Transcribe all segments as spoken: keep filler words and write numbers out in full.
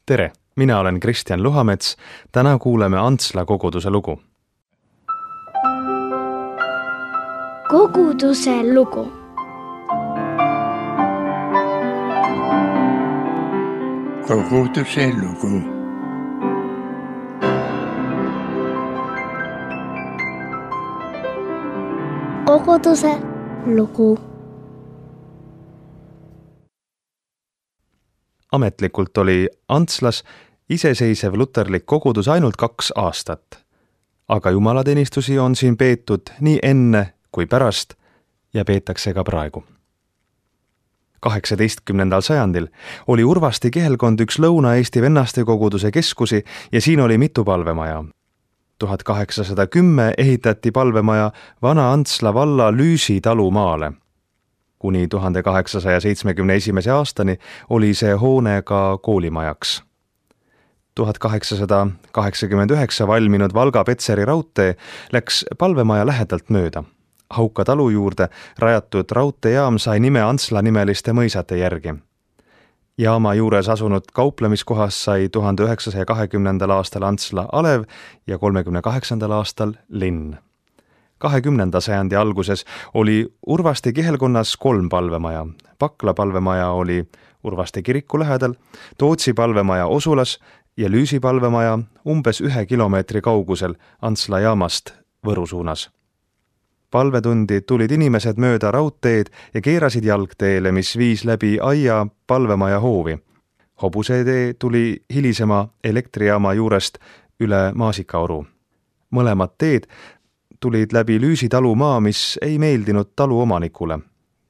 Tere, mina olen Kristjan Luhamets. Täna kuuleme Antsla koguduse lugu. Koguduse lugu. Koguduse lugu. Koguduse lugu. Ametlikult oli Antslas iseseisev luterlik kogudus ainult kaks aastat, aga jumalateenistusi on siin peetud nii enne kui pärast ja peetakse ka praegu. kaheksateistkümnendal sajandil oli Urvasti kihelkond üks Lõuna-Eesti vennaste koguduse keskusi ja siin oli mitu palvemaja. tuhat kaheksasada kümme ehitati palvemaja Vana Antsla valla Lüüsi talumaale. Kuni tuhande kaheksasaja seitsmekümne esimese aastani oli see hoone ka koolimajaks. tuhat kaheksasada kaheksakümmend üheksa valminud Valga-Petseri raudtee läks palvemaja lähedalt mööda. Hauka talu juurde rajatud raudteejaam sai nime Antsla nimeliste mõisate järgi. Jaama juures asunud kauplemiskohas sai tuhande üheksasaja kahekümnendal aastal Antsla alev ja kolmekümne kaheksandal aastal linn. kahekümnenda sajandi alguses oli Urvasti kihelkonnas kolm palvemaja. Pakla palvemaja oli Urvasti kiriku lähedal, Tootsi palvemaja Osulas ja Lüüsi palvemaja umbes ühe kilomeetri kaugusel Antsla jaamast Võru suunas. Palvetundi tulid inimesed mööda raudteed ja keerasid jalgteele, mis viis läbi aia palvemaja hoovi. Hobusetee tuli hilisema elektrijaama juurest üle Maasikaoru. Mõlemad teed tulid läbi Lüüsi talumaa, mis ei meeldinud talu omanikule.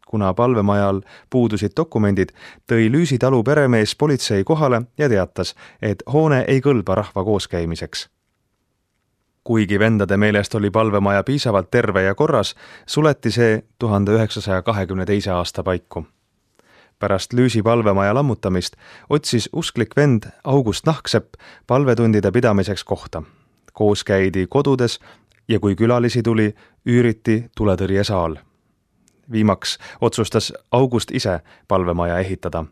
Kuna palvemajal puudusid dokumendid, tõi Lüüsi talu peremees politsei kohale ja teatas, et hoone ei kõlba rahva kooskäimiseks. Kuigi vendade meelest oli palvemaja piisavalt terve ja korras, suleti see tuhande üheksasaja kahekümne teise aasta paiku. Pärast Lüüsi palvemaja lammutamist otsis usklik vend August Nahksepp palvetundide pidamiseks kohta. Koos käidi kodudes ja kui külalisi tuli, üüriti tuletõrjesaal. Viimaks otsustas August ise palvemaja ehitada.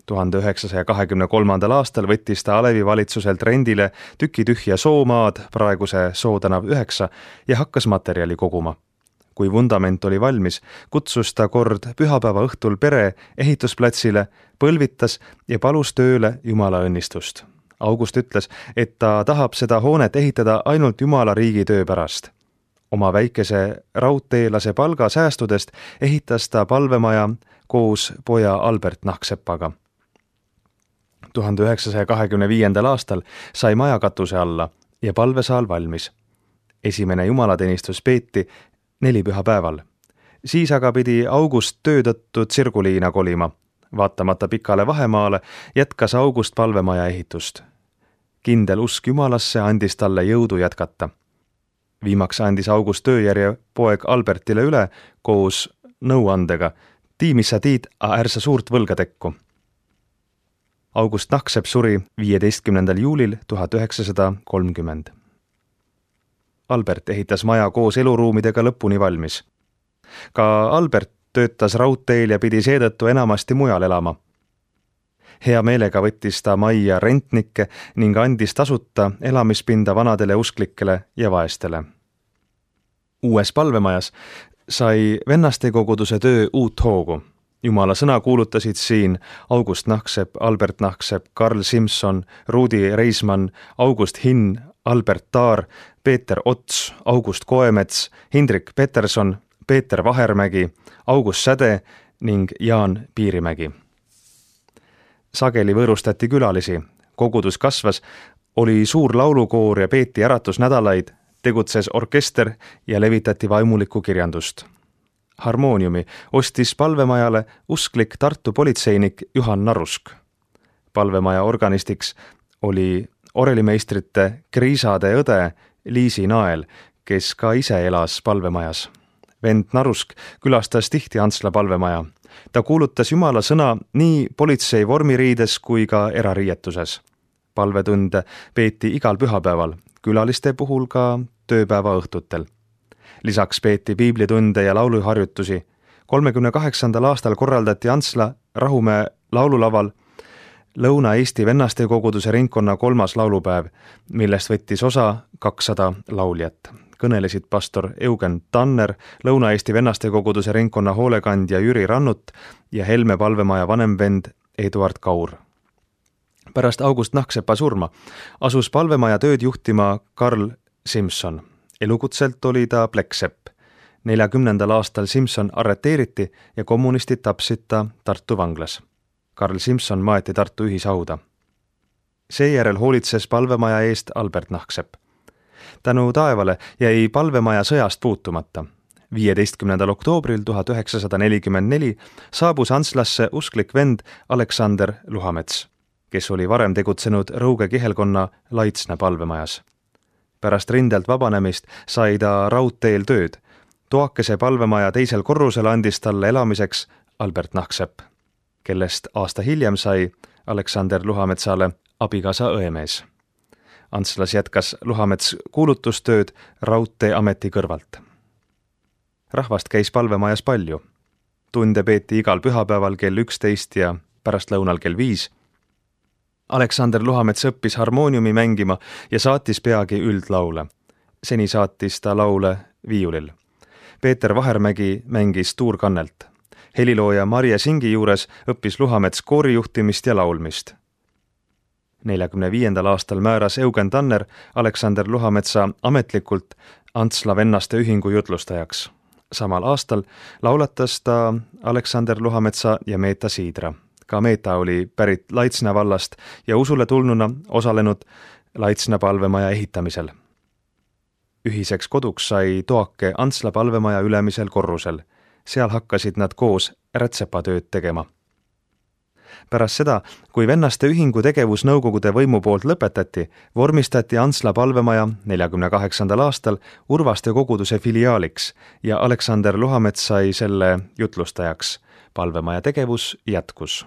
tuhande üheksasaja kahekümne kolmandal aastal võttis ta Alevi valitsuselt rendile tüki tühja soomaad, praeguse Sootänav üheksa, ja hakkas materjali koguma. Kui vundament oli valmis, kutsus ta kord pühapäeva õhtul pere ehitusplatsile, põlvitas ja palus tööle Jumala õnnistust. August ütles, et ta tahab seda hoonet ehitada ainult Jumala riigi töö pärast. Oma väikese raudteelase palga säästudest ehitas ta palvemaja koos poja Albert Nahkseppaga. tuhande üheksasaja kahekümne viiendal aastal sai maja katuse alla ja palvesaal valmis. Esimene jumalateenistus peeti nelipühapäeval. Siis aga pidi August töö tõttu Tsirguliina kolima. Vaatamata pikale vahemaale jätkas August palvemaja ehitust. Kindel usk Jumalasse andis talle jõudu jätkata. Viimaks andis August tööjärje poeg Albertile üle koos nõuandega. Tiimis sa tiid, a ärsa suurt võlga tekku. August Nahksepp suri viieteistkümnendal juulil tuhat üheksasada kolmkümmend. Albert ehitas maja koos eluruumidega lõpuni valmis. Ka Albert töötas raudteel ja pidi seetõttu enamasti mujal elama. Hea meelega võttis ta majja rentnikke ning andis tasuta elamispinda vanadele usklikele ja vaestele. Uues palvemajas sai vennaste koguduse töö uut hoogu. Jumala sõna kuulutasid siin August Nahksepp, Albert Nahksepp, Karl Simson, Rudi Reismann, August Hinn, Albert Taar, Peeter Ots, August Koemets, Hindrik Peterson, Peeter Vahermägi, August Säde ning Jaan Piirimägi. Sageli võõrustati külalisi, kogudus kasvas, oli suur laulukoor ja peeti äratusnädalaid, tegutses orkester ja levitati vaimulikku kirjandust. Harmooniumi ostis palvemajale usklik Tartu politseinik Juhan Narusk. Palvemaja organistiks oli orelimeistrite Kriisade õde Liisi Nael, kes ka ise elas palvemajas. Vend Narusk külastas tihti Antsla palvemaja. Ta kuulutas Jumala sõna nii politsei vormiriides kui ka erariietuses. Palvetunde peeti igal pühapäeval, külaliste puhul ka tööpäeva õhtutel. Lisaks peeti piiblitunde ja lauluharjutusi. kolmekümne kaheksandal aastal korraldati Antsla Rahumäe laululaval Lõuna-Eesti vennaste koguduse ringkonna kolmas laulupäev, millest võttis osa kakssada lauljat. Kõnelesid pastor Eugen Tanner, Lõuna-Eesti vennaste koguduse ringkonna hoolekandja Jüri Rannut ja Helme palvemaja vanemvend Eduard Kaur. Pärast August Nahksepa surma asus palvemaja tööd juhtima Karl Simson. Elukutselt oli ta plekksepp. neljakümnendal aastal Simson arreteeriti ja kommunistid tapsid ta Tartu vanglas. Karl Simson maeti Tartu ühishauda. Seejärel hoolitses palvemaja eest Albert Nahksepp. Tänu taevale jäi palvemaja sõjast puutumata. viieteistkümnendal oktoobril tuhat üheksasada nelikümmend neli saabus Antslasse usklik vend Aleksander Luhamets, kes oli varem tegutsenud Rõuge kihelkonna Laitsna palvemajas. Pärast rindelt vabanemist sai ta raudteel tööd. Toakese palvemaja teisel korrusel andis talle elamiseks Albert Nahksepp, kellest aasta hiljem sai Aleksander Luhametsale abikaasa õemees. Antslas jätkas Luhamets kuulutustööd raudteeameti kõrvalt. Rahvast käis palvemajas palju. Tunde peeti igal pühapäeval kell üksteist ja pärastlõunal kell viis. Aleksander Luhamets õppis harmooniumi mängima ja saatis peagi üldlaule. Seni saatis ta laule viiulil. Peeter Vahermägi mängis tuurkannelt. Helilooja Marje Singi juures õppis Luhamets koorijuhtimist ja laulmist. neljakümne viiendal aastal määras Eugen Tanner Aleksander Luhametsa ametlikult Antsla vennaste ühingu jutlustajaks. Samal aastal laulatas ta Aleksander Luhametsa ja Meeta Siidra. Ka Meeta oli pärit Laitsna vallast ja usule tulnuna osalenud Laitsna palvemaja ehitamisel. Ühiseks koduks sai Toake Antsla palvemaja ülemisel korrusel. Seal hakkasid nad koos rätsepatööd tegema. Pärast seda, kui vennaste ühingu tegevus nõukogude võimu poolt lõpetati, vormistati Antsla palvemaja neljakümne kaheksandal aastal Urvaste koguduse filiaaliks ja Aleksander Luhamets sai selle jutlustajaks. Palvemaja tegevus jätkus.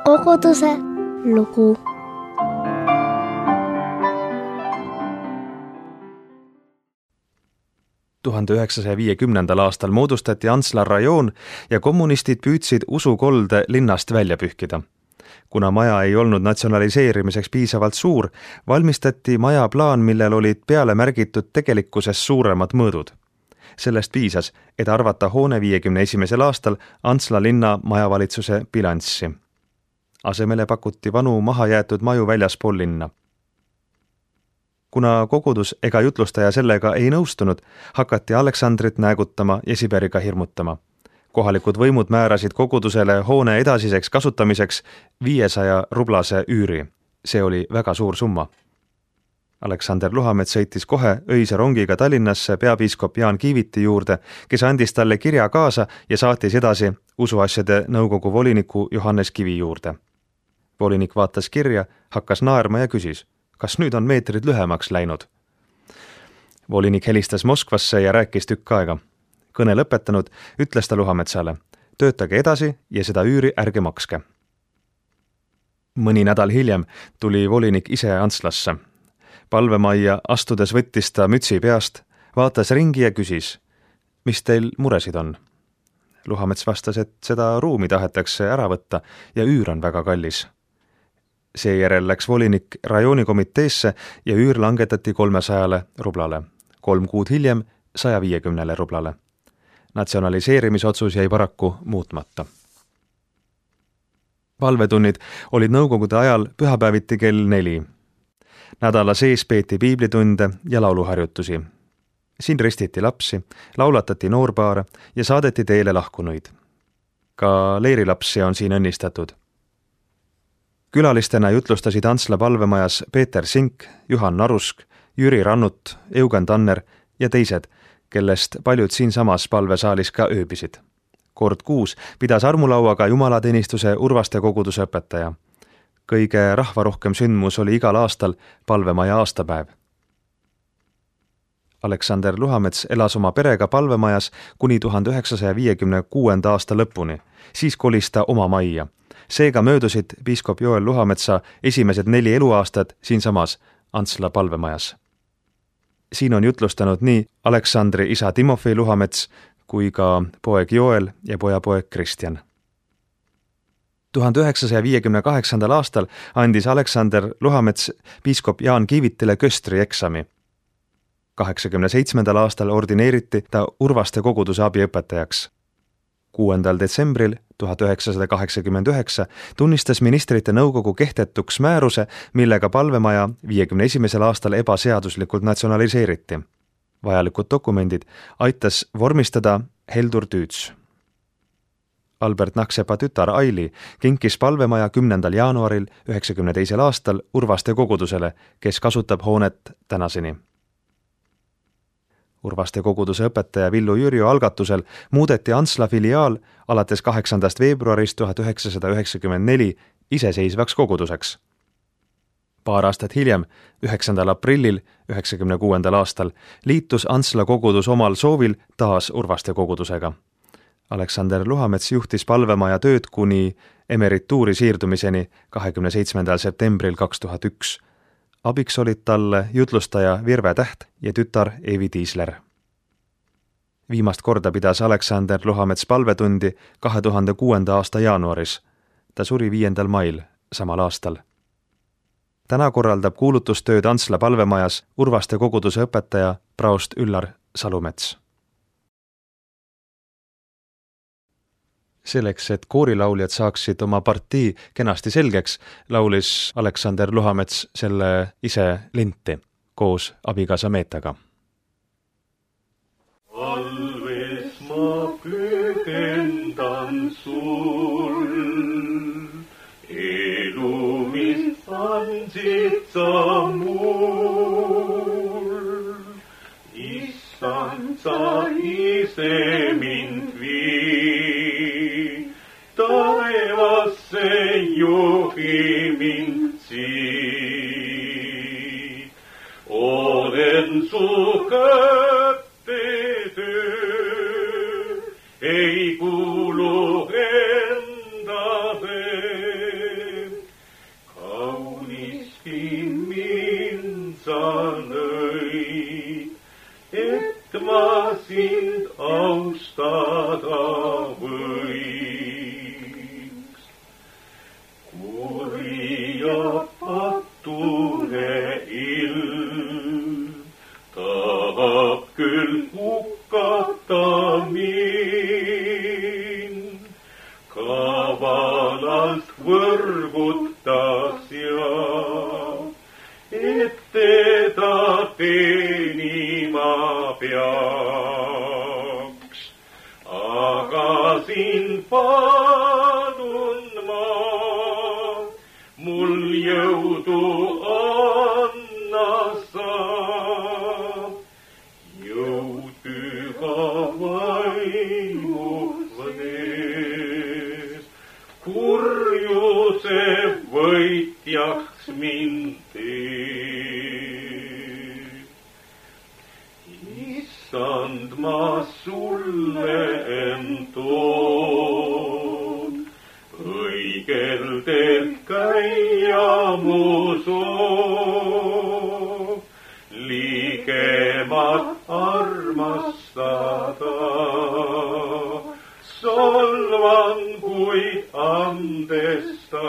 Koguduse lugu. tuhande üheksasaja viiekümnendal aastal moodustati Antsla rajoon ja kommunistid püüdsid usukolde linnast välja pühkida. Kuna maja ei olnud natsionaliseerimiseks piisavalt suur, valmistati maja plaan, millel olid peale märgitud tegelikkuses suuremad mõõdud. Sellest piisas, et arvata hoone viiekümne esimesel aastal Antsla linna majavalitsuse bilanssi. Asemele pakuti vanu mahajäetud maju väljaspool linna. Kuna kogudus ega jutlustaja sellega ei nõustunud, hakati Aleksandrit näägutama ja Siberiga hirmutama. Kohalikud võimud määrasid kogudusele hoone edasiseks kasutamiseks viiesaja rublase üüri. See oli väga suur summa. Aleksander Luhamets sõitis kohe öise rongiga Tallinnasse peapiiskop Jaan Kiiviti juurde, kes andis talle kirja kaasa ja saatis edasi usuasjade nõukogu voliniku Johannes Kivi juurde. Volinik vaatas kirja, hakkas naerma ja küsis, kas nüüd on meetrid lühemaks läinud? Volinik helistas Moskvasse ja rääkis tükk aega. Kõne lõpetanud, ütles ta Luhametsale, töötage edasi ja seda üüri ärge makske. Mõni nädal hiljem tuli volinik ise Antslasse. Palvemajja astudes võttis ta mütsi peast, vaatas ringi ja küsis, mis teil muresid on? Luhamets vastas, et seda ruumi tahetakse ära võtta ja üür on väga kallis. Seejärel läks volinik rajoonikomiteesse ja üür langetati kolmesajale rublale. Kolm kuud hiljem saja viiekümnele rublale. Natsionaliseerimisotsus jäi paraku muutmata. Palvetunnid olid nõukogude ajal pühapäeviti kell neli. Nädala sees peeti piiblitunde ja lauluharjutusi. Siin ristiti lapsi, laulatati noorpaare ja saadeti teele lahkunuid. Ka leirilapsi on siin õnnistatud. Külalistena jutlustasid Antsla palvemajas Peeter Sink, Juhan Narusk, Jüri Rannut, Eugen Tanner ja teised, kellest paljud siinsamas palvesaalis ka ööbisid. Kord kuus pidas armulauaga jumalateenistuse Urvaste koguduse õpetaja. Kõige rahvarohkem sündmus oli igal aastal palvemaja aastapäev. Aleksander Luhamets elas oma perega palvemajas kuni tuhande üheksasaja viiekümne kuuenda aasta lõpuni. Siis kolis ta oma majja. Seega möödusid piiskop Joel Luhametsa esimesed neli eluaastat siinsamas Antsla palvemajas. Siin on jutlustanud nii Aleksandri isa Timofei Luhamets kui ka poeg Joel ja pojapoeg Kristjan. tuhande üheksasaja viiekümne kaheksandal aastal andis Aleksander Luhamets piiskop Jaan Kiivitile köstri eksami. kaheksakümne seitsmendal aastal ordineeriti ta Urvaste koguduse abiõpetajaks. kuuendal detsembril tuhat üheksasada kaheksakümmend üheksa tunnistas ministrite nõukogu kehtetuks määruse, millega palvemaja viiekümne esimesel aastal ebaseaduslikult natsionaliseeriti. Vajalikud dokumendid aitas vormistada Heldur Tüüts. Albert Naksepa tütar Aili kinkis palvemaja kümnendal jaanuaril üheksakümne teisel aastal Urvaste kogudusele, kes kasutab hoonet tänaseni. Urvaste koguduse õpetaja Villu Jürjo algatusel muudeti Antsla filiaal alates kaheksandast veebruarist tuhat üheksasada üheksakümmend neli iseseisvaks koguduseks. Paar aastat hiljem, üheksandal aprillil üheksakümne kuuendal aastal, liitus Antsla kogudus omal soovil taas Urvaste kogudusega. Aleksander Luhamets juhtis palvemaja tööd kuni emerituuri siirdumiseni kahekümne seitsmendal septembril kaks tuhat üks. Abiks olid talle jutlustaja Virve Täht ja tütar Eevi Tiisler. Viimast korda pidas Aleksander Luhamets palvetundi kahe tuhande kuuenda aasta jaanuaris. Ta suri viiendal mail samal aastal. Täna korraldab kuulutustööd Antsla palvemajas Urvaste koguduse õpetaja praost Üllar Salumets. Selleks, et koorilauljad saaksid oma partii kenasti selgeks, laulis Aleksander Luhamets selle ise linti koos abikaasa Meetaga. Alves ma pühendan sul, elu, mis andsid sa mul. Issand, sa ise mind vii, taevasse juhi mind siit. Olen su kätte töö, ei kuulu endale. Kauniski mind sa lõid, et ma sind austada võiks. Kuri ja patune ilm tahab küll hukata mind, kavalalt võrgutas ja et teda teenima peaks. Aga sind palun ma, mul jõudu anna sa, jõud püha vaimu võnes, kurjuse võitjaks mind teed. Issand, ma sulle entoon, õigel teelt käia mu soov, ligemat armastada. Solvan, kuid andestada.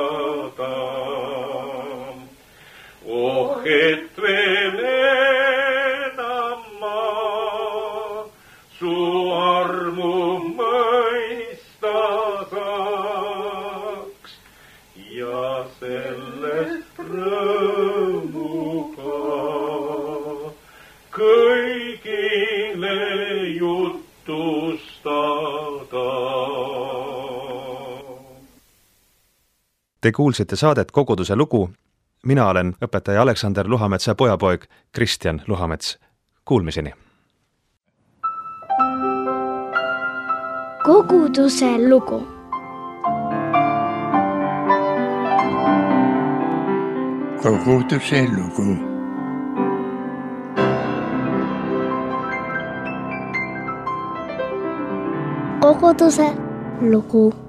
Oh, et veel enam ma su armu mõista saaks ja sellest rõõmuga kõigile jutustada. Te kuulsite saadet Koguduse lugu. Mina olen õpetaja Aleksander Luhametsa pojapoeg Kristjan Luhamets. Kuulmiseni! Koguduse lugu. Koguduse lugu. Koguduse lugu.